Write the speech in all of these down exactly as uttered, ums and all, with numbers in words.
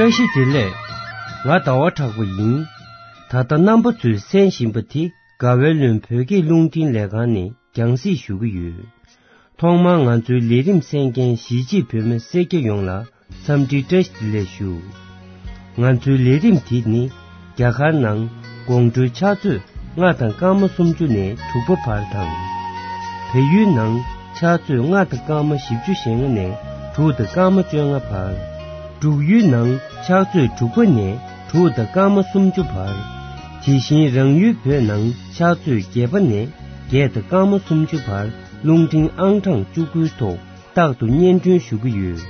བཀྲ་ཤིས་བདེ་ལེགས། ང་ཟླ་བ་གྲགས་པ་ཡིན། ད་ལྟ་རྣམ་པ་ཚོས་གསན་བཞིན་པ་དེ་དགའ་བའི་ལུང་བོད་སྐད་རླུང་འཕྲིན་ལས་ཁང་ནས་རྒྱང་སྲིང་ཞུ་གི་ཡོད། ཐོག་མར་ང་ཚོའི་ལས་རིམ་གསན་མཁན་གཞིས་བྱེས་བོད་མི་སེར་སྐྱ་ཡོངས་ལ་འཚམས་འདྲི་བཀྲ་ཤིས་བདེ་ལེགས་ཞུ། ང་ཚོའི་ལས་རིམ་དེ་ནི་རྒྱ་གར་ནང་དགོང་དྲོའི་ཕྱག་ཚོད་ལྔ་དང་སྐར་མ་སུམ་ཅུ་ནས་དྲུག་པ་བར་དང་། བལ་ཡུལ་ནང་ཕྱག་ཚོད་ལྔ་དང་སྐར་མ་བཞི་བཅུ་ཞེ་ལྔ་ནས་དྲུག་དང་སྐར་མ་བཅོ་ལྔ་བར། འབྲུག་ཡུལ་ནང་ཕྱག་ཚོད་དྲུག་པ་ནས་དྲུག་དང་སྐར་མ་སུམ་ཅུ་བར། དེ་བཞིན་རང་ཡུལ་བོད་ནང་ཕྱག་ཚོད་བརྒྱད་པ་ནས་བརྒྱད་དང་སྐར་མ་སུམ་ཅུ་བར་རླུང་འཕྲིན་ཨང་གྲངས་བཅུ་དགུའི་ཐོག་རྟག་ཏུ་སྙན་སྒྲོན་ཞུ་གི་ཡོད།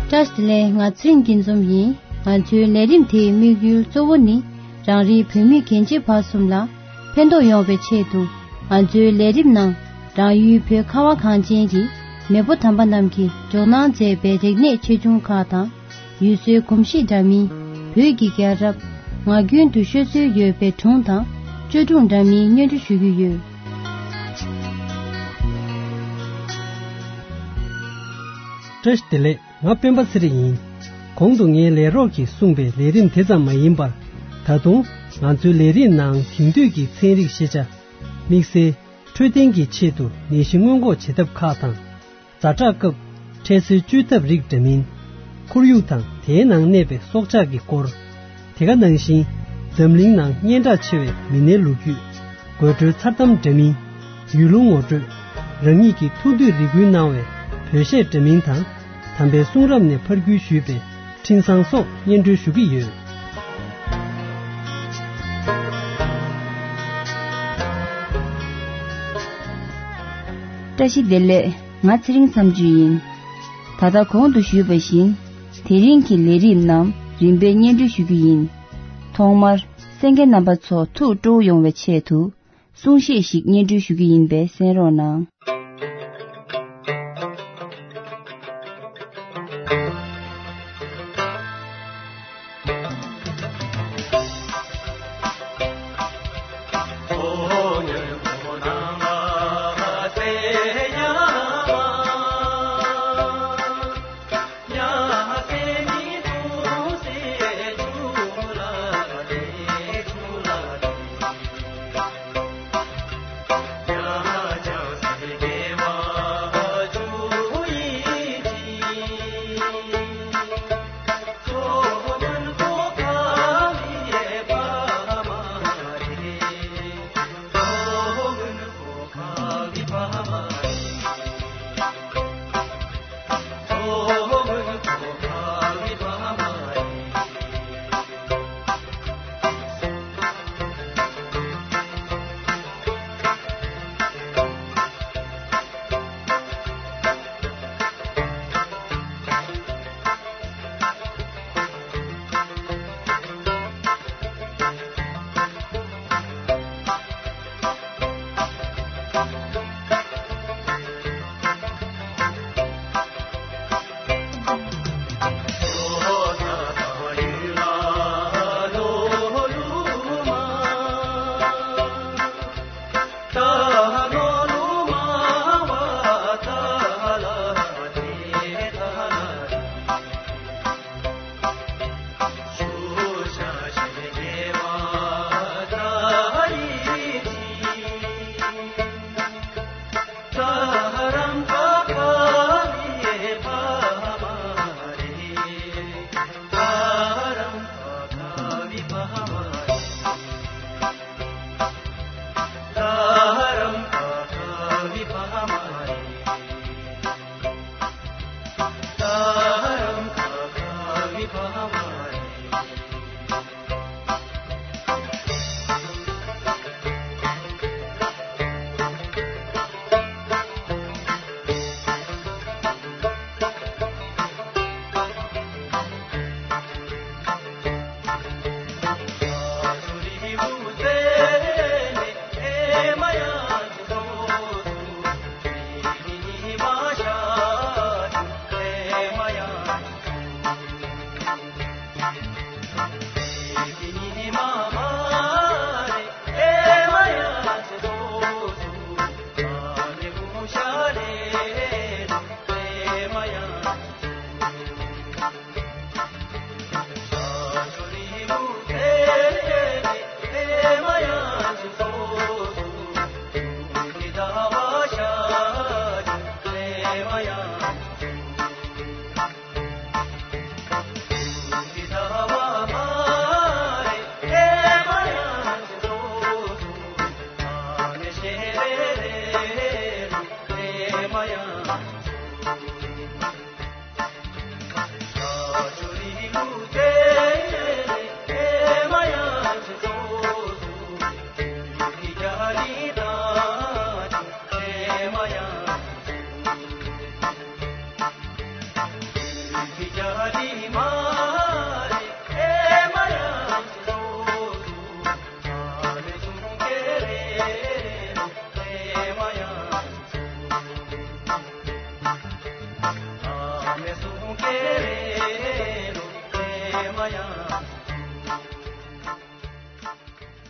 བཀྲ་ཤིས་བདེ་ལེགས། ང་ཚེ་རིང་སྐྱིད་འཛོམས་ཡིན། ང་ཚོའི་ལས་རིམ་དེའི་དམིགས་ཡུལ་གཙོ་བོ་ནི་རང་རེའི་བོད་མི་རྒན་བྱིས་བར་གསུམ་ལ་ཕན་ཐོགས་ཡོང་བའི་ཆེད་དུ། ང་ཚོའི་ལས་རིམ་ནང་རང་ཡུལ་བོད་ཁ་བ་གངས་ཅན་གྱི་མེས་པོ་དམ་པ་རྣམས་ཀྱིས་འཇོག་གནང་མཛད་པའི་རིག་གནས་ཆེ་ཆུང་ཁག་དང་། ཡུལ་སྲོལ་གོམས་གཤིས་འདྲ་མིན། བོད་ཀྱི་རྒྱལ་རབས། ངག་རྒྱུན་དུ་ཤོད་སྲོལ་ཡོད་པའི་སྒྲུང་དང་བཅོས་སྒྲུང་འདྲ་མིན་སྙན་སྒྲོན་ཞུ་རྒྱུ་ཡོད། བཀྲ་ཤིས་བདེ་ལེགས། ང་སྤེན་པ་ཚེ་རིང་ཡིན། གོང་དུ་ངའི་ལས་རོགས་ཀྱིས་གསུངས་པའི་ལས་རིམ་དེ་ཙམ་མ་ཡིན་པར། ད་དུང་ང་ཚོའི་ལས་རིམ་ནང་དེང་དུས་ཀྱི་ཚན་རིག་ཤེས་བྱ། དམིགས་བསལ་འཕྲོད་བསྟེན་གྱི་ཆེད་དུ་ནད་གཞི་སྔོན་འགོག་བྱེད་ཐབས་ཁག་དང་། ཛ་དྲག་སྐབས་འཕྲལ་སེལ་བཅོས་ཐབས་རིགས་འདྲ་མིན། ཁོར་ཡུག་དང་དེའི་ནང་གནས་པའི་སྲོག་ཆགས་ཀྱི་སྐོར། དེ་ག་ནང་བཞིན་འཛམ་གླིང་ནང་སྙན་གྲགས་ཆེ་བའི་མི་སྣའི་ལོ་རྒྱུས། དགོད་བྲོའི་མཚར་གཏམ་འདྲ་མིན། ཡུལ་ལུང་ངོ་སྤྲོད། རང་ཉིད་ཀྱི་ཐུགས་འདོད་རེ་སྐུལ་གནང་བའི་བོད་གཞས་འདྲ་མིན་དང་། དམ་པའི་གསུང་རབ་ནས་ཕར་བརྒྱུད་ཞུས་པའི་འཕྲིན་བཟང་སོགས་སྙན་སྒྲོན་ཞུ་གི་ཡོད། བཀྲ་ཤིས་བདེ་ལེགས། ང་ཚེ་རིང་མཚམས་གཅོད་ཡིན། ད་ལྟ་གོང་དུ་ཞུས་པ་བཞིན། དེ་རིང་གི་ལས་རིམ་རྣམས་རིམ་པས་སྙན་སྒྲོན་ཞུ་རྒྱུ་ཡིན། ཐོག་མར་གསན་མཁན་རྣམ་པ་ཚོ་ཐུགས་སྤྲོ་བོ་ཡོང་བའི་ཆེད་དུ། གསུང་བཤད་ཞིག་སྙན་སྒྲོན་ཞུ་རྒྱུ་ཡིན་པས་གསན་རོགས་གནང་།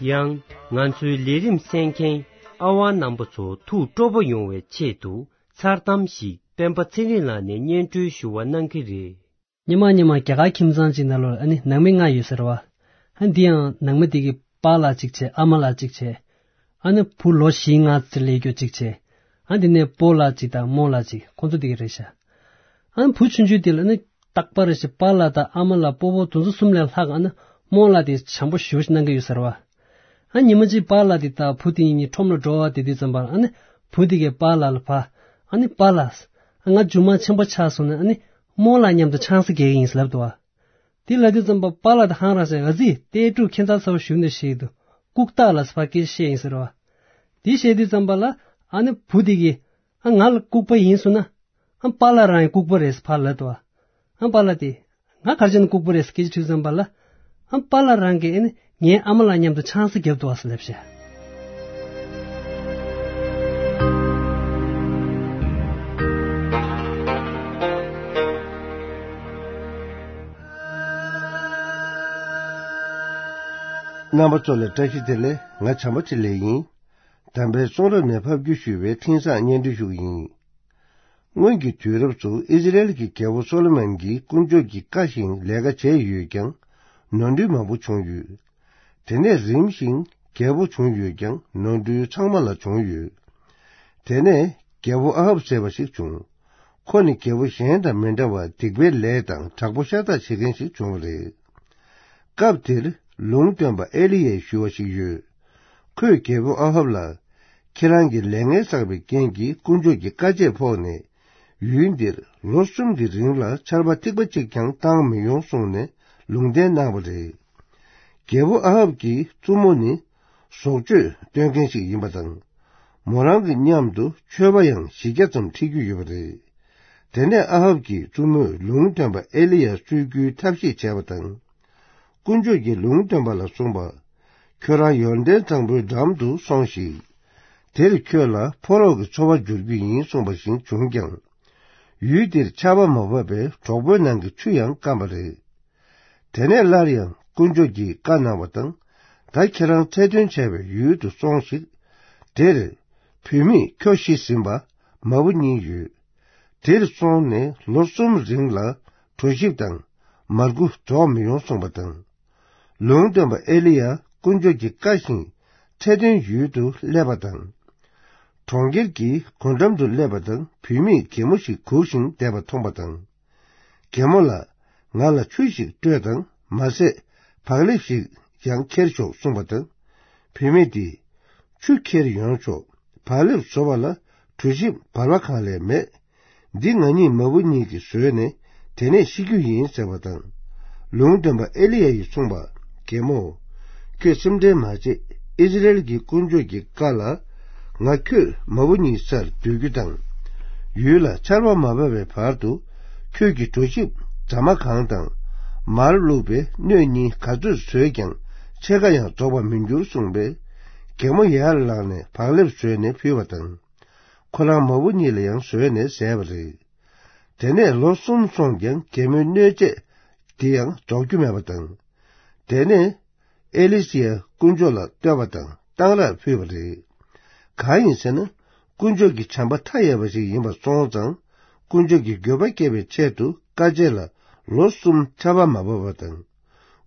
ཡང་ང་ཚོའི་ལས་རིམ་གསན་མཁན་ཨ་ཝང་རྣམ་པ་ཚོ་ཐུགས་སྤྲོ་པོ་ཡོང་བའི་ཆེད་དུ། མཚར་གཏམ་ཞིག་སྤེན་པ་ཚེ་རིང་ལགས་ནས་སྙན་སྒྲོན་ཞུ་བ་གནང་གི་རེད། སྔོན་མ་སྔོན་མ་རྒྱ་གར་ཁྱིམ་ཚང་གཅིག་ནང་ལོགས་ལ་ཨ་ནི་ནང་མི་ལྔ་ཡོད་ཟེར་བ། ཨ་འདི་ཡང་ནང་མི་དེ་གི་པཱ་ལགས་གཅིག་བྱས། ཨ་མ་ལགས་གཅིག་བྱས། ཨ་ནི་བུ་ལོ་བཞི་ལྔ་ཙམ་སླེབས་རྒྱུ་གཅིག་བྱས། ཨ་འདི་ནས་སྤོ་ལགས་གཅིག་དང་རྨོ་ལགས་གཅིག་ཁོང་ཚོ་དེ་གི་རེད་ཤག་ཨ་ནི་བུ་ཆུང་ཆུང་དེ་ལ་ཨ་ནི་རྟག་པར་རེ་བཞིན་པཱ་ལགས་དང་ཨ་མ་ལགས་སྤོ་བོ་དེ་ཚོ་གསུམ་ལས་ལྷག་ཨ་ནི་རྨོ་ལགས་དེ་བྱམས་པོ་ཞེ་པོ་ཞིག་གནང་གི་ཡོད་ཟེར་བ། ཨ་ཉི་མ་གཅིག་པཱ་ལགས་དེ་དང་བུ་དེ་གཉིས་ཁྲོམ་ལ་འགྲོ་བ་དེ་དུས་ཙམ་པར་ཨ་ནི་བུ་དེ་གས་པཱ་ལགས་ལ་ཕར་ཨ་ནི་པཱ་ལགས། ང་མཇུག་མ་ཆེན་པོ་ཆགས་སོང་ན་ཨ་ནི་རྨོ་ལགས་མཉམ་དུ་ཆང་ས་རྒྱག་གི་ཡིན་ཟེར་ལབ་འདུག་བ། དེ་ལབ་དུས་ཙམ་པར་པཱ་ལགས་དེ་ཧང་རང་ཟེར། ཨ་ཙི་ལྟས་དྲུག་ཁྱེད་ཚ་ཚ་བོ་བཞུགས་འདུག་ཞེས་འདུག་ལྐུག་རྟགས་ལ་ཕར་སྐད་ཆ་བཤད་ཡིན་ཟེར་བ། དེ་བཤད་དུས་ཙམ་པ་ལ་ཨ་ནི་བུ་དེ་གིས་ཨ་ང་ལ་ལྐུག་པ་ཡིན་སོང་ན། ཨ་པཱ་ལགས་རང་ཡང་ལྐུག་པ་རེད་ཟེར་ཕར་ལབ་འདུག་བ། ཨ་པཱ་ལགས་དེ། ང་ག་རེ་བྱས་ནས་ལྐུག་པ་རེད་ཟེར་སྐད་ཆ་དྲིས་ཙམ་པ་ལ། ཨ་པཱ་ལགས་རང་གིས་ཨ་ནི་ངའི་ཨ་མ་ལགས་མཉམ་དུ་ཆང་ས་བརྒྱབ་འདུག་བ་ཟེར་ལབ་ཤག་རྣམ་པ་ཚོ་ལ་བཀྲ་ཤིས་བདེ་ལེགས། ང་བྱམས་པ་ཆེ་ལེགས་ཡིན། དམ་པའི་གསུང་རབ་ནས་ཕབ་བསྒྱུར་ཞུས་པའི་འཕྲིན་བཟང་སྙན་སྒྲོན་ཞུ་གི་ཡིན། སྔོན་གྱི་དུས་རབས་སུ་ཨི་ཟི་རེལ་གྱི་རྒྱལ་པོ་སོ་ལོ་མོན་གྱིས་དཀོན་མཆོག་གི་བཀའ་བཞིན་ལས་ཀ་བྱས་ཡོད་ཀྱང་། ནོར་འཁྲུལ་མང་པོ་བྱུང་ཡོད། དེ་ནས་རིམ་བཞིན་རྒྱལ་པོ་བྱུང་ཡོད་ཀྱང་ནོར་འཁྲུལ་ཚང་མ་ལ་བྱུང་ཡོད། དེ་ནས་རྒྱལ་པོ་ཨ་ཧབ་ཟེར་བ་ཞིག་བྱུང་། ཁོ་ནི་རྒྱལ་པོ་གཞན་དང་མི་འདྲ་བར་སྡིག་པའི་ལས་དང་དྲག་པོ་ཤ་སྟག་བྱེད་མཁན་ཞིག་བྱུང་བ་རེད། སྐབས་དེར་ལུང་སྟོན་པ་ཨེ་ལི་ཡཱས་ཞུ་བ་ཞིག་ཡོད། ཁོས་རྒྱལ་པོ་ཨ་ཧབ་ལ། ཁྱེད་རང་གི་ལས་ངན་བསགས་པའི་རྐྱེན་གྱིས་དཀོན་མཆོག་གི་བཀའ་ཆད་ཕོག་ནས། ཡུལ་འདིར་ལོ་གསུམ་གྱི་རིང་ལ་ཆར་པ་ཐིགས་པ་གཅིག་ཀྱང་བཏང་མི་ཡོང་གསུངས་ནས་ལུང་བསྟན་གནང་བ་རེད། རྒྱལ་པོ་ཨ་ཧབ་ཀྱི་བཙུན་མོ་ནི་བཟོ་བཅོས་སྟོན་མཁན་ཞིག་ཡིན་པ་དང་། མོ་རང་གི་མཉམ་དུ་མཆོད་པ་ཡང་བཞི་བརྒྱ་ཙམ་ཁྲིད་རྒྱུ་ཡོད་པ་རེད། དེ་ནས་ཨ་ཧབ་ཀྱི་བཙུན་མོས་ལུང་སྟོན་པ་ཨེ་ལི་ཡཱ་གསོད་རྒྱུའི་ཐབས་ཤེས་བྱས་པ་དང་། དཀོན་མཆོག་གིས་ལུང་སྟོན་པ་ལ་གསུངས་པ། ཁྱོད་རང་ཡོར་དན་གཙང་པོའི་འགྲམ་དུ་སོང་ཞིག་དེར་ཁྱོད་ལ་ཕོ་རོག་གི་འཚོ་བ་འབྱོར་རྒྱུ་ཡིན་གསུངས་པ་བཞིན་བྱུང་ཀྱང་། ཡུལ་དེར་ཆར་པ་མ་བབས་པས་གྲོག་པོའི་ནང་གི་ཆུ་ཡང་སྐམ་པ་རེད། དེ་ནས་སླར་ཡང་དཀོན་མཆོག་གིས་བཀའ་གནང་བ་དང་། ད་ཁྱེད་རང་འཚེ་འདོན་བྱས་པའི་ཡུལ་དུ་སོང་ཞིག་དེར་བུད་མེད་ཁྱོ་ཤི་ཟིན་པ་མ་བུ་གཉིས་ཡོད། དེར་སོང་ནས་ལོ་གསུམ་རིང་ལ་གྲོ་ཞིབ་དང་མར་ཁུ་རྫོགས་མི་ཡོང་གསུངས་པ་དང་། ལུང་སྟོན་པ་ཨེ་ལི་ཡཱ་དཀོན་མཆོག་གི་བཀའ་བཞིན་འཚེ་འདོན་ཡུལ་དུ་སླེབས་པ་དང་། གྲོང་ཁྱེར་གྱི་སྒོ་འགྲམ་དུ་སླེབས་པ་དང་བུད་མེད་གད་མོ་ཞིག་སྒུག་བཞིན་བསྡད་པ་མཐོང་པ་དང་། གད་མོ་ལ། ང་ལ་ཆུ་ཞིག་སྤྲོད་དང་མ་ཟད་བག་ལེབ་ཞིག་ཡང་ཁྱེར་ཤོག་གསུངས་པ་དང་། བུད་མེད་དེས། ཆུ་ཁྱེར་ཡོང་ཆོག་བག་ལེབ་བཟོ་བ་ལ་གྲོ་ཞིབ་བར་བ་གང་ལས་མེད། འདི་ང་གཉིས་མ་བུ་གཉིས་ཀྱིས་བཟོས་ནས་དེ་ནས་ཤི་རྒྱུ་ཡིན་ཟེར་བ་དང་། ལུང་སྟོན་པ་ཨེ་ལི་ཡཱ་ཡིས་གསུངས་པ། རྒན་མོ། ཁྱོད་སེམས་ཁྲལ་མ་བྱེད། ཨིསི་རེལ་གྱི་དཀོན་མཆོག་གི་བཀའ་ལ། ང་ཁྱོད་མ་བུ་གཉིས་སར་སྡོད་རྒྱུ་དང་། ཡུལ་ལ་ཆར་པ་མ་བབས་པའི་བར་དུ། ཁྱོད་ཀྱིས་གྲོ་ཞིབ་རྫ་མ་གང་དང་། མར་བླུགས་པའི་སྣོད་གཉིས་ག་ཚོད་བཟོས་ཀྱང་ཕྱེད་ཀ་ཡང་རྫོགས་པར་མི་འགྱུར་གསུངས་པས། རྒན་མོ་ཡར་ལངས་ནས་བག་ལེབ་བཟོས་ནས་ཕུལ་བ་དང་། ཁོ་རང་མ་བུ་གཉིས་ལ་ཡང་བཟོས་ནས་བཟས་པ་རེད། དེ་ནས་ལོ་གསུམ་སོང་ཀྱང་རྒན་མོའི་གནོད་བྱེད་དེ་ཡང་རྫོགས་རྒྱུ་མེད་པ་དང་། དེ་ནས་ཨེ་ལི་ཤི་ཡ་དཀོན་མཆོག་ལ་བསྟོད་པ་དང་གཏང་རག་ཕུལ་བ་རེད། གང་ཡིན་ཟེར་ན། དཀོན་མཆོག་གི་བྱམས་པ་མཐའ་ཡས་པ་ཞིག་ཡིན་པ་སོང་ཙང་། དཀོན་མཆོག་གི་འགྱོད་པ་སྐྱེ་བའི་ཆེད་དུ་དཀའ་སྤྱད་ལ་ལོ་གསུམ་ཆར་པ་མ་བབས་པ་དང་།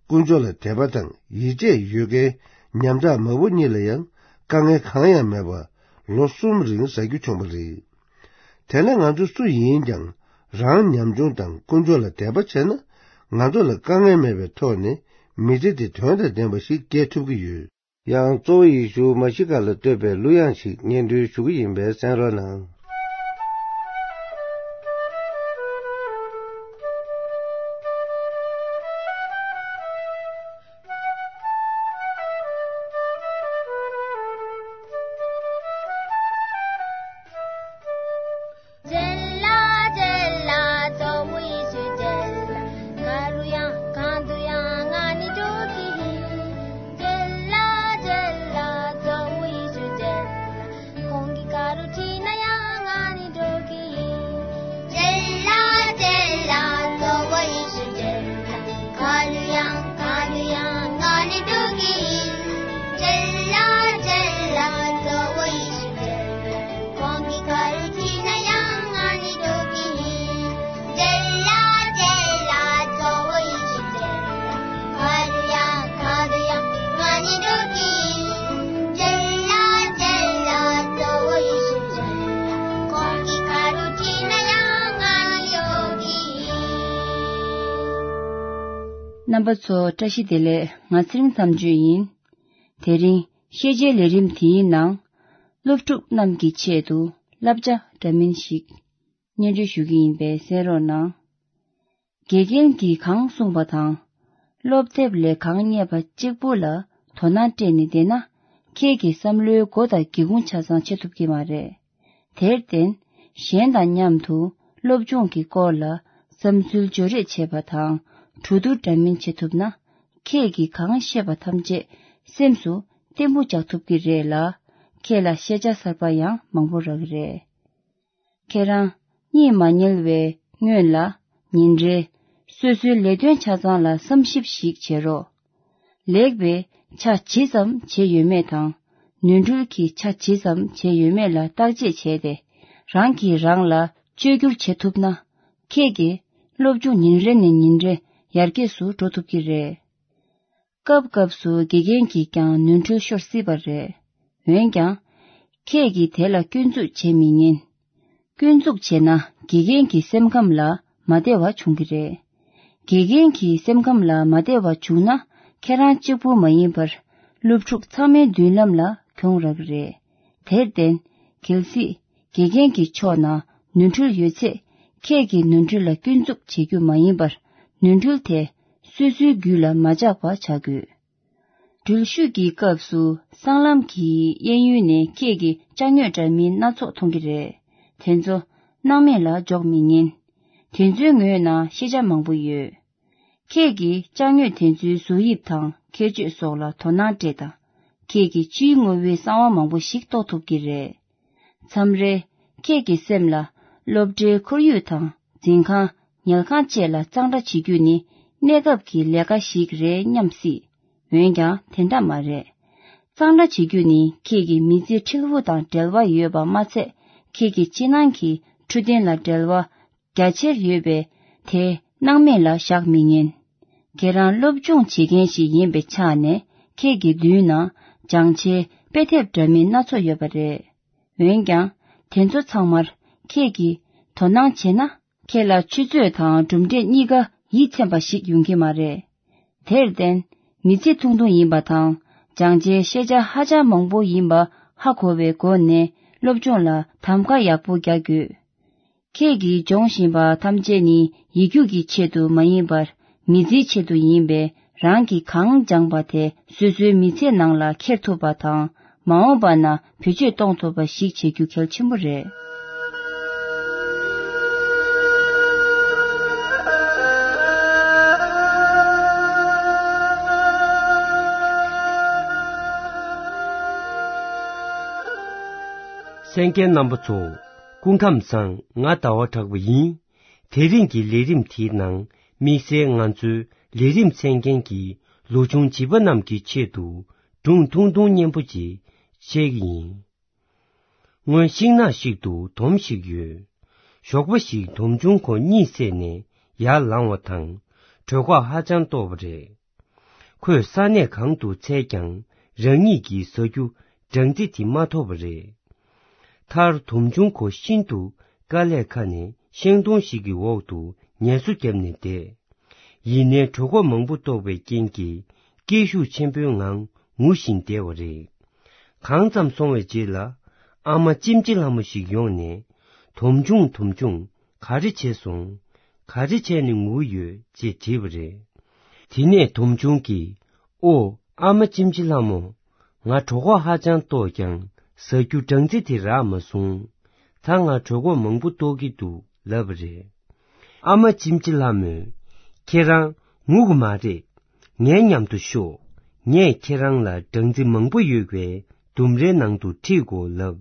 དཀོན་མཆོག་ལ་དད་པ་དང་ཡིད་ཆེས་ཡོད་མཁན་ཉམ་ཐག་མ་བུ་གཉིས་ལ་ཡང་དཀའ་ངལ་གང་ཡང་མེད་པར་ལོ་གསུམ་རིང་ཟ་རྒྱུ་བྱུང་བ་རེད། དེ་ནས་ང་ཚོ་སུ་ཡིན་ཀྱང་རང་ཉམ་ཆུང་དང་དཀོན་མཆོག་ལ་དད་པ་བྱས་ན། ང་ཚོ་ལ་དཀའ་ངལ་མེད་པའི་ཐོག་ནས་མི་ཚེ་འདི་དོན་དང་ལྡན་པ་ཞིག་སྐྱེལ་ཐུབ་ཀྱི་ཡོད། ཡང་གཙོ་བོ་ཡེ་ཤུ་མ་ཤི་ཀ་ལ་བསྟོད་པའི་གླུ་དབྱངས་ཤིག་སྙན་སྒྲོན་ཞུ་གི་ཡིན་པས་གསན་རོགས་གནང་། རྣམ་པ་ཚོ་བཀྲ་ཤིས་བདེ་ལེགས། ང་ཚེ་རིང་མཚམས་གཅོད་ཡིན། དེ་རིང་ཤེས་བྱའི་ལས་རིམ་དེའི་ནང་། སློབ་ཕྲུག་རྣམས་ཀྱི་ཆེད་དུ་བསླབ་བྱ་འདྲ་མིན་ཞིག་སྙན་སྒྲོན་ཞུ་གི་ཡིན་པས་གསན་རོགས་གནང་། དགེ་རྒན་གྱིས་གང་གསུངས་པ་དང་། སློབ་དེབ་ལས་གང་རྙེད་པ་གཅིག་པུ་ལ་དོ་སྣང་སྤྲད་ནས་བསྡད་ན། ཁྱེད་ཀྱི་བསམ་བློའི་སྒོ་དང་སྒེའུ་ཁུང་ཆ་ཚང་ཕྱེ་ཐུབ་ཀྱི་མ་རེད། དེར་བརྟེན། གཞན་དང་མཉམ་དུ་སློབ་སྦྱོང་གི་སྐོར་ལ་བསམ་ཚུལ་བརྗོད་རེས་བྱེད་པ་དང་། གྲོས་བསྡུར་འདྲ་མིན་བྱེད་ཐུབ་ན། ཁྱེད་ཀྱིས་གང་ཤེས་པ་ཐམས་ཅད་སེམས་སུ་བརྟན་པོ་འཇགས་ཐུབ་ཀྱི་རེད་ལ། ཁྱེད་ལ་ཤེས་བྱ་གསར་པ་ཡང་མང་པོ་རག་གི་རེད། ཁྱེད་རང་གཉིད་མ་ཉལ་བའི་སྔོན་ལ། ཉིན་རེ་སོ་སོའི་ལས་དོན་ཆ་ཚང་ལ་བསམ་ཞིབ་ཞིག་བྱེད་རོགས། ལེགས་པའི་ཆ་ཇི་ཙམ་བྱས་ཡོད་མེད་དང་། ནོར་འཁྲུལ་གྱི་ཆ་ཇི་ཙམ་བྱས་ཡོད་མེད་ལ་བརྟག་དཔྱད་བྱས་ཏེ། རང་གིས་རང་ལ་བཅོས་བསྒྱུར་བྱེད་ཐུབ་ན། ཁྱེད་ཀྱི་སློབ་སྦྱོང་ཉིན་རེ་ནས་ཉིན་རེ་ཡར་རྒྱས་སུ་འགྲོ་ཐུབ་ཀྱི་རེད། སྐབས་སྐབས་སུ་དགེ་རྒན་གྱིས་ཀྱང་ནོར་འཁྲུལ་ཤོར་སྲིད་པ་རེད། འོན་ཀྱང་། ཁྱེད་ཀྱིས་དེ་ལ་སྐྱོན་འཛུགས་བྱེད་མི་ཉན། སྐྱོན་འཛུགས་བྱས་ན་དགེ་རྒན་གྱི་སེམས་ཁམས་ལ་མ་བདེ་བ་འབྱུང་གི་རེད། དགེ་རྒན་གྱི་སེམས་ཁམས་ལ་མ་བདེ་བ་བྱུང་ན། ཁྱེད་རང་གཅིག་པུ་མ་ཡིན་པར། སློབ་ཕྲུག་ཚང་མའི་མདུན་ལམ་ལ་གྱོང་རག་གི་རེད། དེར་བརྟེན། གལ་སྲིད། དགེ་རྒན་གྱི་ཕྱོགས་ན་ནོར་འཁྲུལ་ཡོད་ཚེ། ཁྱེད་ཀྱིས་ནོར་འཁྲུལ་ལ་སྐྱོན་འཛུགས་བྱེད་རྒྱུ་མ་ཡིན་པར། ནོར་འཁྲུལ་དེ་སོ་སོའི་རྒྱུད་ལ་མ་འཇགས་པ་བྱ་དགོས། འགྲུལ་བཞུད་ཀྱི་སྐབས་སུ་སྲང་ལམ་གྱི་གཡས་གཡོན་ནས་ཁྱེད་ཀྱིས་ཅ་དངོས་འདྲ་མིན་སྣ་ཚོགས་མཐོང་གི་རེད། དེ་ཚོ་སྣང་མེད་ལ་འཇོག་མི་ཉན། དེ་ཚོའི་ངོས་ན་ཤེས་བྱ་མང་པོ་ཡོད། ཁྱེད་ཀྱིས་ཅ་དངོས་དེ་ཚོའི་བཟོ་དབྱིབས་དང་ཁྱད་ཆོས་སོགས་ལ་དོ་སྣང་སྤྲད་དང་། ཁྱེད་ཀྱིས་ཕྱིའི་དངོས་པོའི་གསང་བ་མང་པོ་ཞིག་རྟོགས་ཐུབ་ཀྱི་རེད། མཚམས་རེ། ཁྱེད་ཀྱི་སེམས་ལ། སློབ་གྲྭའི་ཁོར་ཡུག་དང་། འཛིན་ཁང་། ཉལ་ཁང་བཅས་ལ་གཙང་སྦྲ་བྱེད་རྒྱུ་ནི། གནས་སྐབས་ཀྱི་ལས་ཀ་ཞིག་རེད་སྙམ་སྲིད། འོན་ཀྱང་དེ་འདྲ་མ་རེད། གཙང་སྦྲ་བྱེད་རྒྱུ་ནི་ཁྱེད་ཀྱི་མི་ཚེ་འཁྲིལ་བོ་དང་འབྲེལ་བ་ཡོད་པ་མ་ཚད། ཁྱེད་ཀྱི་ཕྱི་ནང་གི་འཕྲོད་བསྟེན་ལ་འབྲེལ་བ་རྒྱ་ཆེར་ཡོད་པས། དེ་སྣང་མེད་ལ་བཞག་མི་ཉན། ཁྱེད་རང་སློབ་སྦྱོང་བྱེད་མཁན་ཞིག་ཡིན་པའི་ཆ་ནས། ཁྱེད་ཀྱི་མདུན་ན་སྦྱང་བྱའི་དཔེ་དེབ་འདྲ་མིན་སྣ་ཚོགས་ཡོད་པ་རེད། འོན་ཀྱང་། དེ་ཚོ་ཚང་མར་ཁྱེད་ཀྱིས་དོ་སྣང་བྱས་ན། ཁྱེད་ལ་ཆུ་ཚོད་དང་གྲུབ་འབྲས་གཉིས་ཀ་ཡིད་ཚིམ་པ་ཞིག་ཡོང་གི་མ་རེད། དེར་བརྟེན། མི་ཚེ་ཐུང་ཐུང་ཡིན་པ་དང་། སྦྱང་བྱའི་ཤེས་བྱ་ཧ་ཅང་མང་པོ་ཡིན་པ་ཧ་གོ་བའི་སྒོ་ནས། སློབ་སྦྱོང་ལ་གདམ་ག་ཡག་པོ་རྒྱག་དགོས། ཁྱེད་ཀྱིས་སྦྱོང་བཞིན་པ་ཐམས་ཅད་ནི་ཡིག་རྒྱུགས་ཀྱི་ཆེད་དུ་མ་ཡིན་པར། མི་ཚེའི་ཆེད་དུ་ཡིན་པས། རང་གིས་གང་སྦྱངས་པ་དེ་སོ་སོའི་མི་ཚེ་ནང་ལ་འཁྱེར་ཐུབ་པ་དང་། མ་འོངས་པ་ན་བེད་སྤྱོད་གཏོང་ཐུབ་པ་ཞིག་བྱེད་རྒྱུ་གལ་ཆེན་པོ་རེད། གསན་མཁན་རྣམ་པ་ཚོ། སྐུ་ཁམས་བཟང་། ང་ཟླ་བ་གྲགས་པ་ཡིན། དེ་རིང་གི་ལས་རིམ་དེའི་ནང་། དམིགས་བསལ་ང་ཚོའི་ལས་རིམ་གསན་མཁན་གྱི་ལོ་ཆུང་བྱིས་པ་རྣམས་ཀྱི་ཆེད་དུ། སྒྲུང་ཐུང་ཐུང་སྙན་པོ་ཅིག་བཤད་ཀྱི་ཡིན། སྔོན་ཤིང་ནགས་ཤིག་ཏུ་དོམ་ཞིག་ཡོད། ཞོགས་པ་ཞིག་དོམ་ཆུང་ཁོ་གཉིད་སད་ནས་ཡར་ལངས་པ་དང་། གྲོད་ཁོག་ཧ་ཅང་ལྟོགས་པ་རེད། ཁོས་ས་གནས་གང་དུ་འཚོལ་ཀྱང་རང་ཉིད་ཀྱི་ཟ་རྒྱུ་སྦྲང་རྩི་དེ་མ་ཐོབ་པ་རེད། མཐར་དོམ་ཆུང་ཁོ་ཤིན་ཏུ་དཀའ་ལས་ཁ་ནས་ཤིང་སྡོང་ཞིག་གི་འོག་ཏུ་ངལ་གསོ་བརྒྱབ་ནས་བསྡད། ཡིན་ནའི་གྲོད་ཁོག་མང་པོ་ལྟོགས་པའི་རྐྱེན་གྱིས་སྐད་ཤུགས་ཆེན་པོའི་ངང་ངུ་བཞིན་བསྡད་པ་རེད། གང་ཙམ་སོང་བའི་རྗེས་ལ། ཨ་མ་ལྕེམ་ལྕེ་ལྷ་མོ་ཞིག་ཡོང་ནས། དོམ་ཆུང་དོམ་ཆུང་། ག་རེ་བྱས་སོང་། ག་རེ་བྱས་ནས་ངུ་ཡོད་ཅེས་དྲིས་པ་རེད། དེ་ནས་དོམ་ཆུང་གིས། ཨོ། ཨ་མ་ལྕེམ་ལྕེ་ལྷ་མོ། ང་གྲོད་ཁོག་ཧ་ཅང་ལྟོགས་ཀྱང་ཟ་རྒྱུ་སྦྲང་རྩི་དེ་རག་མ་སོང་། ད་ང་གྲོད་ཁོག་མང་པོ་ལྟོགས་ཀྱི་འདུག་ལབ་པ་རེད། ཨ་མ་ལྕེམ་ལྕེ་ལྷ་མོས། ཁྱེད་རང་ངུ་གི་མ་རེད། ངའི་མཉམ་དུ་ཤོག་ངས་ཁྱེད་རང་ལ་སྦྲང་རྩི་མང་པོ་ཡོད་པའི་ལྡུམ་རའི་ནང་དུ་ཁྲིད་དགོས་ལབ།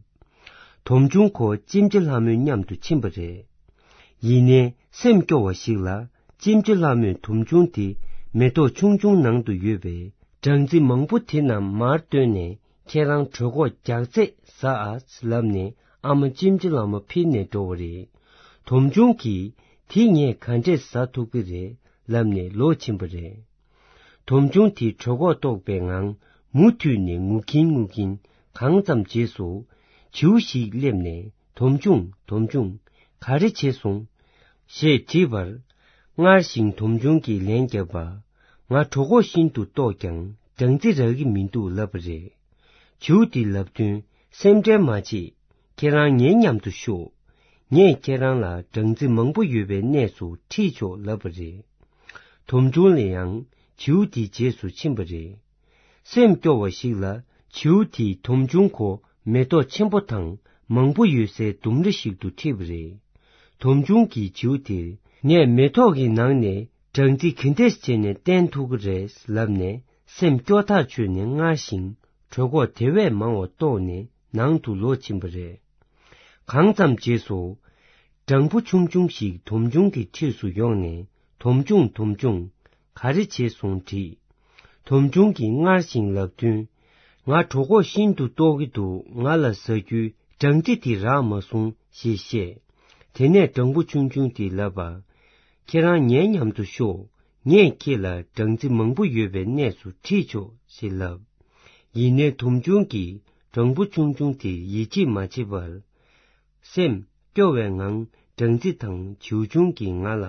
དོམ་ཆུང་ཁོ་ལྕེམ་ལྕེ་ལྷ་མོའི་མཉམ་དུ་ཕྱིན་པ་རེད། ཡིན་ནའི་སེམས་སྐྱོ་བ་ཞིག་ལ་ལྕེམ་ལྕེ་ལྷ་མོས་དོམ་ཆུང་དེ་མེ་ཏོག་ཆུང་ཆུང་ནང་དུ་ཡོད་པའི་སྦྲང་རྩི་མང་པོ་དེ་རྣམས་མར་བཏོན་ནས། ཁྱེད་རང་གྲོད་ཁོག་རྒྱགས་ཚད་ཟ་ཨ་ལབ་ནས། ཨ་མ་ལྕེམ་ལྕེ་ལྷ་མོ་ཕྱིར་ནས་འགྲོ་བ་རེད། དོམ་ཆུང་གིས། དེ་ངས་ག་འདྲས་ཟ་ཐུབ་ཀྱི་རེད་ལབ་ནས་ལོག་ཕྱིན་པ་རེད། དོམ་ཆུང་དེ་གྲོད་ཁོག་ལྟོགས་པའི་ངང་མུ་མཐུད་ནས་ངུ་གིན་ངུ་གིན་གང་ཙམ་རྗེས་སུ། བྱིའུ་ཞིག་སླེབས་ནས། དོམ་ཆུང་། དོམ་ཆུང་། ག་རེ་བྱས་སོང་། ཞེས་དྲིས་པར། སྔར་བཞིན་དོམ་ཆུང་གིས་ལན་བརྒྱབ་པ། ང་གྲོད་ཁོག་ཤིན་ཏུ་ལྟོགས་ཀྱང་སྦྲང་རྩི་རག་གི་མི་འདུག་ལབ་པ་རེད། བྱིའུ་དེས་ལབ་དོན། སེམས་ཁྲལ་མ་བྱེད། ཁྱེད་རང་ངའི་མཉམ་དུ་ཤོག་ངས་ཁྱེད་རང་ལ་སྦྲང་རྩི་མང་པོ་ཡོད་པའི་གནས་སུ་ཁྲིད་ཆོག་ལབ་པ་རེད། དོམ་ཆུང་ལ་ཡང་བྱིའུ་དེའི་རྗེས་སུ་ཕྱིན་པ་རེད། སེམས་སྐྱོ་བ་ཞིག་ལ་བྱིའུ་དེས་དོམ་ཆུང་ཁོ་མེ་ཏོག་ཆེན་པོ་དང་མང་པོ་ཡོད་སའི་ལྡུམ་ར་ཞིག་ཏུ་ཁྲིད་པ་རེད། དོམ་ཆུང་གིས་བྱིའུ་དེར། ངས་མེ་ཏོག་གི་ནང་ནས་སྦྲང་རྩི་ག་འདྲས་བྱས་ནས་བསྟེན་ཐུབ་ཀྱི་རེད་ལབ་ནས་སེམས་སྐྱོ་ཐག་ཆོད་ནས་སྔར་བཞིན་གྲོད་ཁོག་དེ་བས་མང་བ་ལྟོགས་ནས་ནང་དུ་ལོག་ཕྱིན་པ་རེད། གང་ཙམ་རྗེས་སུ། སྦྲང་བུ་ཆུང་ཆུང་ཞིག་དོམ་ཆུང་གི་འཁྲིས་སུ་ཡོང་ནས། དོམ་ཆུང་དོམ་ཆུང་། ག་རེ་བྱས་སོང་དྲིས། དོམ་ཆུང་གིས་སྔར་བཞིན་ལབ་དོན། ང་གྲོད་ཁོག་ཤིན་ཏུ་ལྟོགས་ཀྱི་འདུག་ང་ལ་ཟ་རྒྱུའི་སྦྲང་རྩི་དེ་རག་མ་སོང་ཞེས་བཤད། དེ་ནས་སྦྲང་བུ་ཆུང་ཆུང་དེས་ལབ་པ། ཁྱེད་རང་ངའི་མཉམ་དུ་ཤོག་ངས་ཁྱེད་ལ་སྦྲང་རྩི་མང་པོ་ཡོད་པའི་གནས་སུ་ཁྲིད་ཆོག་ཞེས་ལབ། ཡིན་ནའི་དོམ་ཆུང་གིས་སྦྲང་བུ་ཆུང་ཆུང་དེར་ཡིད་ཆེས་མ་བྱས་པར། སེམས་སྐྱོ་བའི་ངང་སྦྲང་རྩི་དང་བྱིའུ་ཆུང་གིས་ང་ལ་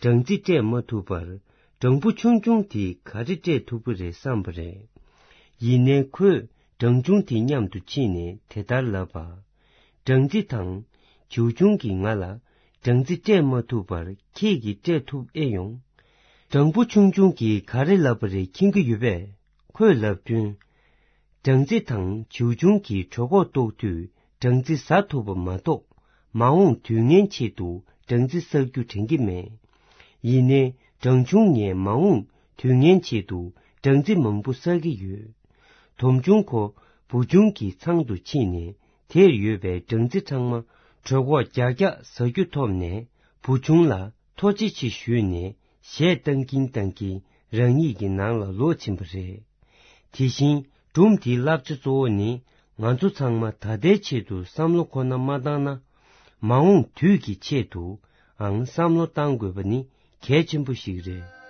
སྦྲང་རྩི་སྤྲད་མ་ཐུབ་པར། སྦྲང་བུ་ཆུང་ཆུང་དེས་ག་རེ་སྤྲད་ཐུབ་ཀྱི་རེད་བསམ་པ་རེད། ཡིན་ནའི་ཁོས་སྦྲང་ཆུང་དེ་མཉམ་དུ་ཕྱིན་ནས་དེ་ལྟར་ལབ་པ། སྦྲང་རྩི་དང་། བྱིའུ་ཆུང་གིས་ང་ལ་སྦྲང་རྩི་སྤྲད་མ་ཐུབ་པར་ཁྱེད་ཀྱིས་སྤྲད་ཐུབ་ཨེ་ཡོང་། སྦྲང་བུ་ཆུང་ཆུང་གིས་ག་རེ་ལབ་པ་རེད་མཁྱེན་གྱི་ཡོད་པས། ཁོས་ལབ་དོན། སྦྲང་རྩི་དང་བྱིའུ་ཆུང་གིས་གྲོད་ཁོག་ལྟོགས་དུས་སྦྲང་རྩི་ཟ་ཐུབ་པ་མ་གཏོགས། མ་འོངས་དུས་ངན་ཆེད་དུ་སྦྲང་རྩི་བསགས་རྒྱུ་དྲན་གྱི་མེད། ཡིན་ནའི་སྦྲང་ཆུང་ངས་མ་འོངས་དུས་ངན་ཆེད་དུ་སྦྲང་རྩི་མང་པོ་བསགས་ཀྱི་ཡོད། དོམ་ཆུང་ཁོ་བུ་ཆུང་གི་ཚང་དུ་ཕྱིན་ནས་དེར་ཡོད་པའི་སྦྲང་རྩི་ཚང་མ་གྲོད་ཁོག་རྒྱགས་རྒྱགས་ཟ་རྒྱུ་ཐོབ་ནས་བུ་ཆུང་ལ་ཐུགས་རྗེ་ཆེ་ཞུས་ནས་གཞས་བཏང་གིན་བཏང་གིན་རང་ཉིད་ཀྱི་ནང་ལ་ལོག་ཕྱིན་པ་རེད། དེ་བཞིན་སྒྲུང་དེའི་བསླབ་བྱ་གཙོ་བོ་ནི་ང་ཚོ་ཚང་མ་ད་ལྟའི་ཆེད་དུ་བསམ་བློ་ཁོ་ན་མ་བཏང་ན། མ་འོངས་དུས་ཀྱི་ཆེད་དུའང་བསམ་བློ་བཏང་དགོས་པ་ནི་གལ་ཆེན་པོ་ཞིག་རེད།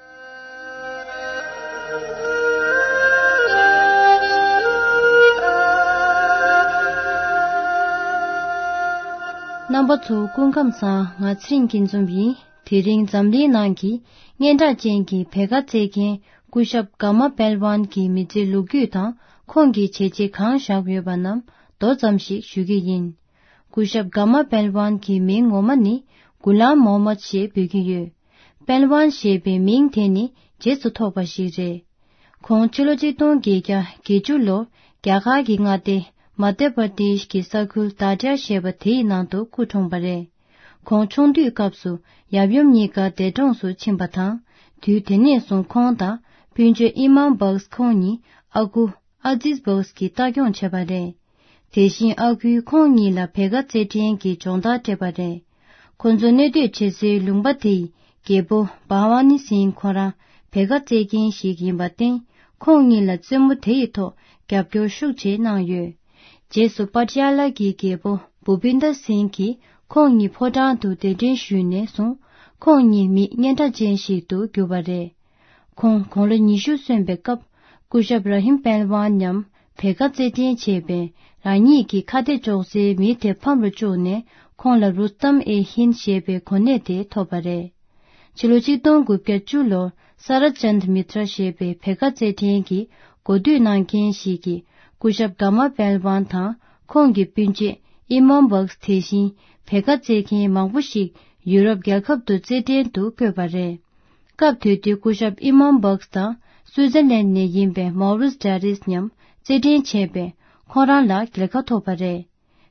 རྣམ་པ་ཚོ་སྐུ་ཁམས་བཟང་། ང་ཚེ་རིང་སྐྱིད་འཛོམས་ཡིན། དེ་རིང་འཛམ་གླིང་ནང་གི་སྙན་གྲགས་ཅན་གྱི་བེ་ག་རྩེད་མཁན་སྐུ་ཞབས་ག་མ་པེལ་ཝན་གྱི་མི་ཚེའི་ལོ་རྒྱུས་དང་ཁོང་གིས་བྱས་རྗེས་གང་བཞག་ཡོད་པ་རྣམས་མདོ་ཙམ་ཞིག་ཞུ་གི་ཡིན། སྐུ་ཞབས་ག་མ་པེལ་ཝན་གྱི་མིང་ངོ་མ་ནི་གུ་ལམ་མོ་མད་ཞེས་འབོད་ཀྱི་ཡོད། པེལ་ཝན་ཞེས་པའི་མིང་དེ་ནི་རྗེས་སུ་ཐོགས་པ་ཞིག་རེད། ཁོང་ཕྱི་ལོ་ཆིག་སྟོང་བརྒྱད་བརྒྱ་བརྒྱད་ཅུ་ལོར་རྒྱ་གར་གྱི་མངའ་སྡེ་མ་དྷྱ་པར་དེཤ་གི་ས་ཁུལ་དཱ་ཏྲ་ཞེས་པ་དེའི་ནང་དུ་སྐུ་འཁྲུངས་པ་རེད། ཁོང་ཆུང་དུས་སྐབས་སུ་ཡབ་ཡུམ་གཉིས་ཀ་འདས་གྲོངས་སུ་ཕྱིན་པ་དང་། དུས་དེ་ནས་བཟུང་ཁོང་དང་སྤུན་མཆེད་ཨི་མམ་བགས་ཁོང་གཉིས་ཨ་ཁུ་ཨ་ཛིས་བགས་ཀྱིས་ལྟ་སྐྱོང་བྱས་པ་རེད། དེ་བཞིན་ཨ་ཁུས་ཁོང་གཉིས་ལ་བེ་ག་རྩེད་འགྲན་གྱི་སྦྱོང་བརྡར་སྤྲད་པ་རེད། ཁོ་ཚོ་གནས་སྡོད་བྱེད་སའི་ལུང་པ་དེའི་རྒྱལ་པོ་བྷ་ཝ་ནི་སིང་ཁོ་རང་བེ་ག་རྩེད་མཁན་ཞིག་ཡིན་པར་བརྟེན། ཁོང་གཉིས་ལ་རྩེད་མོ་དེ་ཡི་ཐོག་རྒྱབ་སྐྱོར་ཤུགས་ཆེ་གནང་ཡོད། རྗེས་སུ་པ་ཏི་ཡ་ལ་གི་རྒྱལ་པོ་བྷུ་པིན་དར་སིང་གིས་ཁོང་གཉིས་ཕོ་བྲང་དུ་གདན་འདྲེན་ཞུས་ནས་བཟུང་། ཁོང་གཉིས་མི་སྙན་གྲགས་ཅན་ཞིག་ཏུ་གྱུར་པ་རེད། ཁོང་དགུང་ལོ་ཉི་ཤུ་སོན་པའི་སྐབས། སྐུ་ཞབས་ར་ཧིམ་པེལ་ཝན་མཉམ་བེ་ག་རྩེད་འགྲན་བྱས་པས། རང་ཉིད་ཀྱི་ཁ་གཏད་གཅོག་སའི་མི་དེ་ཕམ་རུ་བཅུག་ནས། ཁོང་ལ་རུ་སྟམ་ཨེ་ཧིན་ཞེས་པའི་གོ་གནས་དེ་ཐོབ་པ་རེད། ཕྱི་ལོ་ཆིག་སྟོང་དགུ་བརྒྱ་བཅུ་ལོར་ས་ར་ཅན་མི་ཏྲ་ཞེས་པའི་བེ་ག་རྩེད་འགྲན་གྱི་གོ་བསྡུར་གནང་མཁན་ཞིག་གིས། སྐུ་ཞབས་ག་མ་པེལ་ཝན་དང་ཁོང་གི་སྤུན་མཆེད་ཨི་མོམ་བགས་དེ་བཞིན་བེ་ག་རྩེད་མཁན་མང་པོ་ཞིག་ཡུ་རོབ་རྒྱལ་ཁབ་ཏུ་རྩེད་འགྲན་དུ་བསྐོས་པ་རེད། སྐབས་དེ་དུས་སྐུ་ཞབས་ཨི་མོམ་བགས་དང་སུའུ་ཙེར་ལན་ནས་ཡིན་པའི་མོ་རིས་ཏྲ་རིས་མཉམ་རྩེད་འགྲན་བྱས་པས། ཁོང་རང་ལ་རྒྱལ་ཁ་ཐོབ་པ་རེད།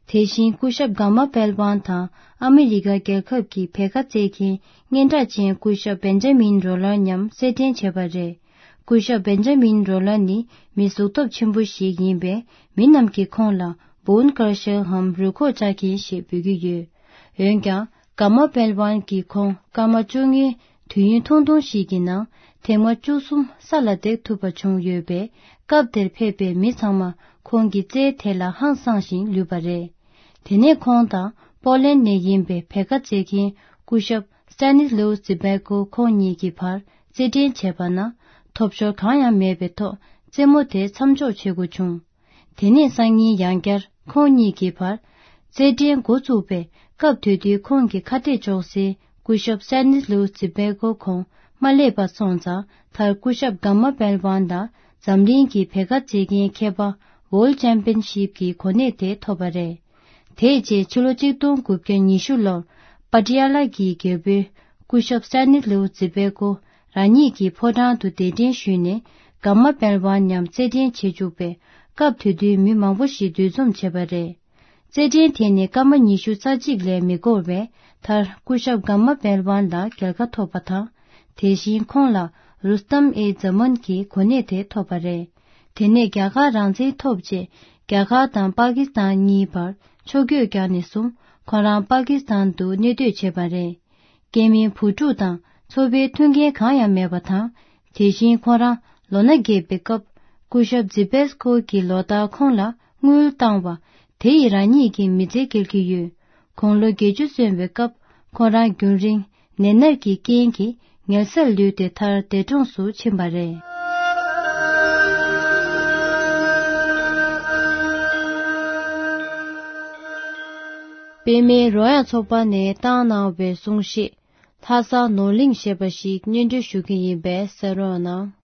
དེ་བཞིན་སྐུ་ཞབས་ག་མ་པེལ་ཝན་དང་ཨ་མི་རི་ཀ་རྒྱལ་ཁབ་ཀྱི་བེ་ག་རྩེད་མཁན་སྙན་གྲགས་ཅན་སྐུ་ཞབས་བེན་ཇ་མིན་རོ་ལར་མཉམ་རྩེད་འགྲན་བྱས་པ་རེད། སྐུ་ཞབས་བེན་ཇ་མིན་རོ་ལར་ནི་མི་གཟུགས་སྟོབས་ཆེན་པོ་ཞིག་ཡིན་པས། མི་རྣམས་ཀྱིས་ཁོང་ལ་བོན་ཀར་ཤར་འམ་རུས་ཁོག་བཅག་མཁན་ཞེས་འབོད་ཀྱི་ཡོད། འོན་ཀྱང་། ག་མ་པེལ་ཝན་གྱིས་ཁོང་སྐར་མ་བཅོ་ལྔའི་དུས་ཡུན་ཐུང་ཐུང་ཞིག་གི་ནང་ཐེངས་མ་བཅུ་གསུམ་ས་ལ་འདེགས་ཐུབ་པ་བྱུང་ཡོད་པས། སྐབས་དེར་ཕེབས་པའི་མི་ཚང་མ་ཁོང་གི་རྩལ་དེ་ལ་ཧང་སངས་ཤིང་ལུས་པ་རེད། དེ་ནས་ཁོང་དང་པོ་ལན་ནས་ཡིན་པའི་བེ་ག་རྩེད་མཁན་སྐུ་ཞབས་སྟ་ནིས་ལོའུ་ཛི་བེ་ཀོ་ཁོང་གཉིས་ཀྱི་བར་རྩེད་འགྲན་བྱས་པ་ན། ཐོབ་ཤོར་གང་ཡང་མེད་པའི་ཐོག་རྩེད་མོ་དེ་མཚམས་འཇོག་བྱེད་དགོས་བྱུང་། དེ་ནས་སང་ཉིན་ཡང་བསྐྱར་ཁོང་གཉིས་ཀྱི་བར་རྩེད་འགྲན་འགོ་བཙུགས་པས། སྐབས་དེ་དུས་ཁོང་གི་ཁ་གཏད་གཅོག་སའི་སྐུ་ཞབས་སན་ནིས་ལུའུ་ཛི་བེ་ཀོ་ཁོང་ མ་སླེབས་པ་སོང་ཙང་མཐར་སྐུ་ཞབས་གམ་མ་པེལ་ཝན་དང་འཛམ་གླིང་གི་བེད་ཀ་རྩེད་མཁན་མཁས་པ་World Championship གི་གོ་གནས་དེ་ཐོབ་པ་རེད། དེའི་རྗེས་ཕྱི་ལོ་ཆིག་སྟོང་དགུ་བརྒྱ་ཉི་ཤུ་ལོར་པ་ཏི་ཡ་ལ་གི་རྒྱལ་པོས་སྐུ་ཞབས་སྟ་ནི་སླེའུ་ཛི་བེ་ཀོ་རང་ཉིད་ཀྱི་ཕོ་བྲང་དུ་གདན་འདྲེན་ཞུས་ནས་གམ་མ་པེལ་ཝན་མཉམ་རྩེད་འགྲན་བྱེད་བཅུག་པས་སྐབས་དེ་དུས་མི་མང་པོ་ཞིག་འདུ་འཛོམས་བྱས་པ་རེད། རྩེད་འགྲན་དེ་ནི་སྐར་མ་ཉི་ཤུ་རྩ་གཅིག་ལས་མི་འགོར་བས་མཐར་སྐུ་ཞབས་གམ་མ་པེལ་ཝན་ལ་རྒྱལ་ཁ་ཐོབ་པ་དང་། དེ་བཞིན་ཁོང་ལ་རུ་སྟམ་ཨེ་ཛ་མན་གྱི་གོ་གནས་དེ་ཐོབ་པ་རེད། དེ་ནས་རྒྱ་གར་རང་བཙན་ཐོབ་རྗེས་རྒྱ་གར་དང་པ་ཀི་སི་ཐན་གཉིས་བར་ཕྱོགས་བསྐྱོད་བརྒྱབ་ནས་བཟུང་ཁོང་རང་པ་ཀི་སི་ཐན་དུ་གནས་སྡོད་བྱས་པ་རེད། སྐྱེ་དམན་བུ་ཕྲུག་དང་ཚོ་པའི་མཐུན་རྐྱེན་གང་ཡང་མེད་པ་དང་། དེ་བཞིན་ཁོང་རང་ལོ་ན་རྒས་པའི་སྐབས་སྐུ་ཞབས་ཛི་བེས་ཀོ་གིས་ལོ་ལྟར་ཁོང་ལ་དངུལ་བཏང་བ་དེ་ཡིས་རང་ཉིད་ཀྱི་མི་ཚེ་སྐྱེལ་གྱི་ཡོད། དགུང་ལོ་བརྒྱད་ཅུ་སོན་པའི་སྐབས་ཁོང་རང་རྒྱུན་རིང་ནད་མནར་གྱི་རྐྱེན་གྱིས་ངལ་སར་ལུས་ཏེ་མཐར་འདས་གྲོངས་སུ་ཕྱིན་པ་རེད། པད་མའི་རོལ་དབྱངས་ཚོགས་པ་ནས་བཏང་གནང་བའི་གསུང་བཤད། ལྷ་ས་ནོར་གླིང་ཞེས་པ་ཞིག་སྙན་སྒྲོན་ཞུ་གི་ཡིན་པས་གསན་རོགས་གནང་།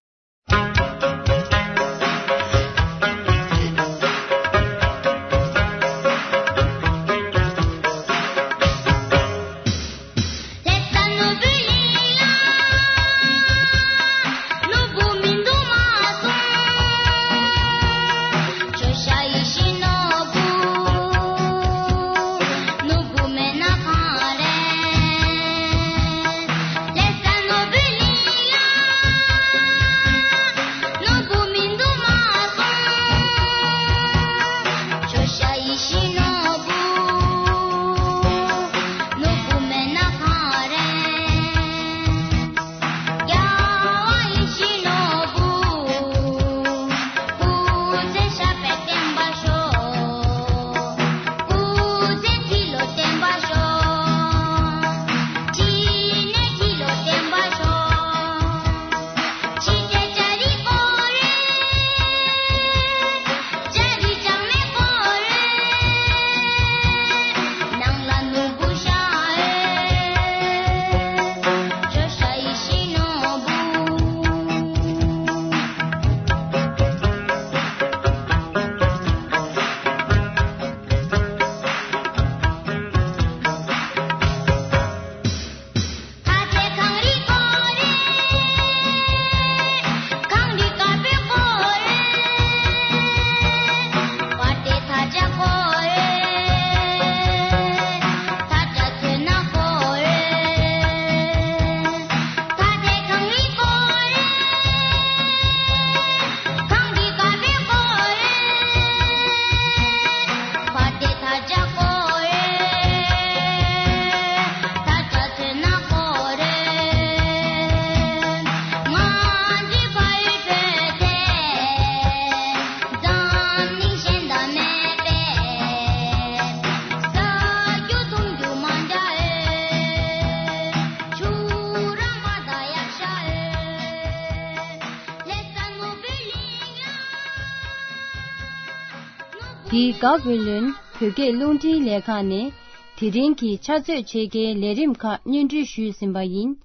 འདི་ག་བོད་ལུན་བོད་སྐད་རླུང་འཕྲིན་ལས་ཁང་ནས་དེ་རིང་གི་ཕྱག་ཚོད་ཕྱེད་ཀའི་ལས་རིམ་ཁག་སྙན་སྒྲོན་ཞུས་ཟིན་པ་ཡིན།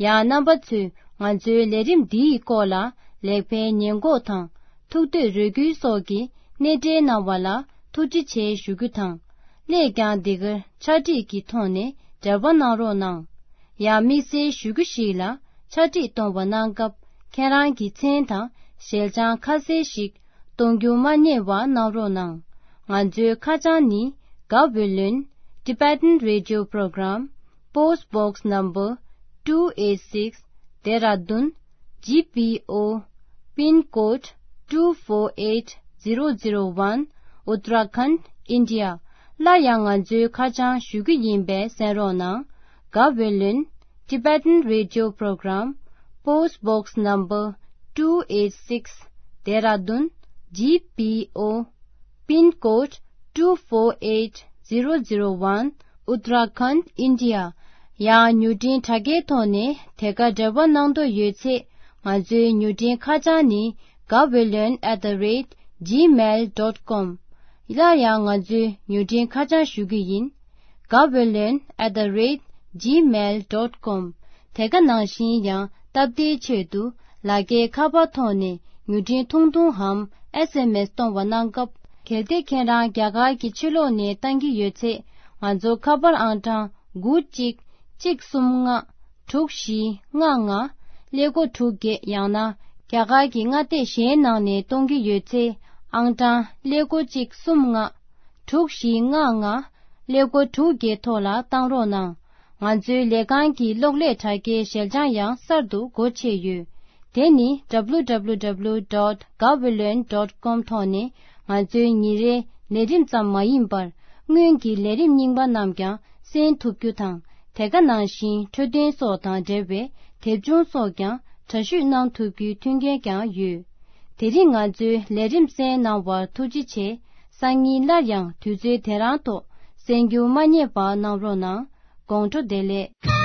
ཡང་རྣམ་པ་ཚོས་ང་ཚོའི་ལས་རིམ་འདིའི་སྐོར་ལ་ལེགས་སྤེལ་ཉེས་འགོག་དང་ཐུགས་འདོད་རེ་སྐུལ་སོགས་ཀྱི་གནས་འབྲེལ་གནང་བ་ལ་ཐུགས་རྗེ་ཆེ་ཞུ་རྒྱུ་དང་། སླད་ཀྱང་འདི་གར་ཕྱག་བྲིས་ཀྱི་ཐོག་ནས་འབྲེལ་བ་གནང་རོགས་གནང་། ཡང་དམིགས་བསལ་ཞུ་རྒྱུ་ཞིག་ལ་ཕྱག་བྲིས་གཏོང་བ་གནང་སྐབས་ཁྱེད་རང་གི་མཚན་དང་ཞལ་བྱང་ཁ་གསལ་ཞིག་གཏོང་རྒྱུ་མ་བསྙེལ་བ་གནང་རོགས་གནང་། ང་ཚོའི་ཁ་བྱང་ནི་Gaweylon Tibetan Radio Program, Post Box Number two eight six, Dehradun G P O, Pin Code two four eight zero zero one, Uttarakhand, India. སླར་ཡང་ང་ཚོའི་ཁ་བྱང་ཞུ་རྒྱུ་ཡིན་པས་གསན་རོགས་གནང་། Gaweylon Tibetan Radio Program, Post Box Number two eight six, Dehradun G P O, Pin Code two four eight zero zero one, Uttarakhand, India. ཡང་མྱུར་འཕྲིན་དྲ་རྒྱའི་ཐོག་ནས་དེ་ག་འབྲེལ་བ་གནང་འདོད་ཡོད་ཚེ་ང་ཚོའི་མྱུར་འཕྲིན་ཁ་བྱང་ནི་gaweylon at the rate gmail dot com. སླར་ཡང་ང་ཚོའི་མྱུར་འཕྲིན་ཁ་བྱང་ཞུ་རྒྱུ་ཡིན། gaweylon at the rate gmail dot com. དེ་ག་ནང་བཞིན་ཡང་ སྟབས་བདེའི་ཆེད་དུ་ལག་འཁྱེར་ཁ་པར་ཐོག་ནས་མྱུར་འཕྲིན་ཐུང་ཐུང་འམ་ཨེས་ཨེམ་ཨེས་གཏོང་བ་གནང་སྐབས། གལ་ཏེ་ཁྱེད་རང་རྒྱ་གར་གྱི་ཕྱི་ལོགས་ནས་བཏང་གི་ཡོད་ཚེ། ང་ཚོའི་ཁ་པར་ཨང་གྲངས་དགུ་གཅིག་གཅིག་གསུམ་ལྔ་དྲུག་བཞི་ལྔ་ལྔ་ཀླད་ཀོར་དྲུག་བརྒྱད། ཡང་ན་རྒྱ་གར་གྱི་མངའ་སྡེ་གཞན་ནང་ནས་གཏོང་གི་ཡོད་ཚེ། ཨང་གྲངས་ཀླད་ཀོར་གཅིག་གསུམ་ལྔ་དྲུག་བཞི་ལྔ་ལྔ་ཀླད་ཀོར་དྲུག་བརྒྱད་ཐོག་ལ་བཏང་རོགས་གནང་། ང་ཚོའི་ལས་ཁང་གི་གློག་ཀླད་དྲ་རྒྱའི་ཞལ་བྱང་ཡང་གསར་དུ་སྒོ་ཕྱེ་ཡོད། དེ་ནི་W W W dot gaweylon dot com ཐོག་ནས་ང་ཚོའི་ཉིན་རེའི་ལས་རིམ་ཙམ་མ་ཡིན་པར། སྔོན་གྱི་ལས་རིམ་རྙིང་པ་རྣམས་ཀྱང་གསན་ཐུབ་རྒྱུ་དང་། དེ་ག་ནང་བཞིན་འཕྲོད་བསྟེན་སོགས་དང་འབྲེལ་བའི་དེབ་ཆུང་སོགས་ཀྱང་འདྲ་བཤུས་གནང་ཐུབ་རྒྱུའི་མཐུན་རྐྱེན་ཀྱང་ཡོད། དེ་རིང་ང་ཚོའི་ལས་རིམ་གསན་གནང་བར་ཐུགས་རྗེ་ཆེ། སང་ཉིན་སླར་ཡང་དུས་ཚོད་དེ་རང་ཐོག་གསན་རྒྱུ་མ་བསྙེལ་བ་གནང་རོགས་གནང་། དགོང་དྲོ་བདེ་ལེགས།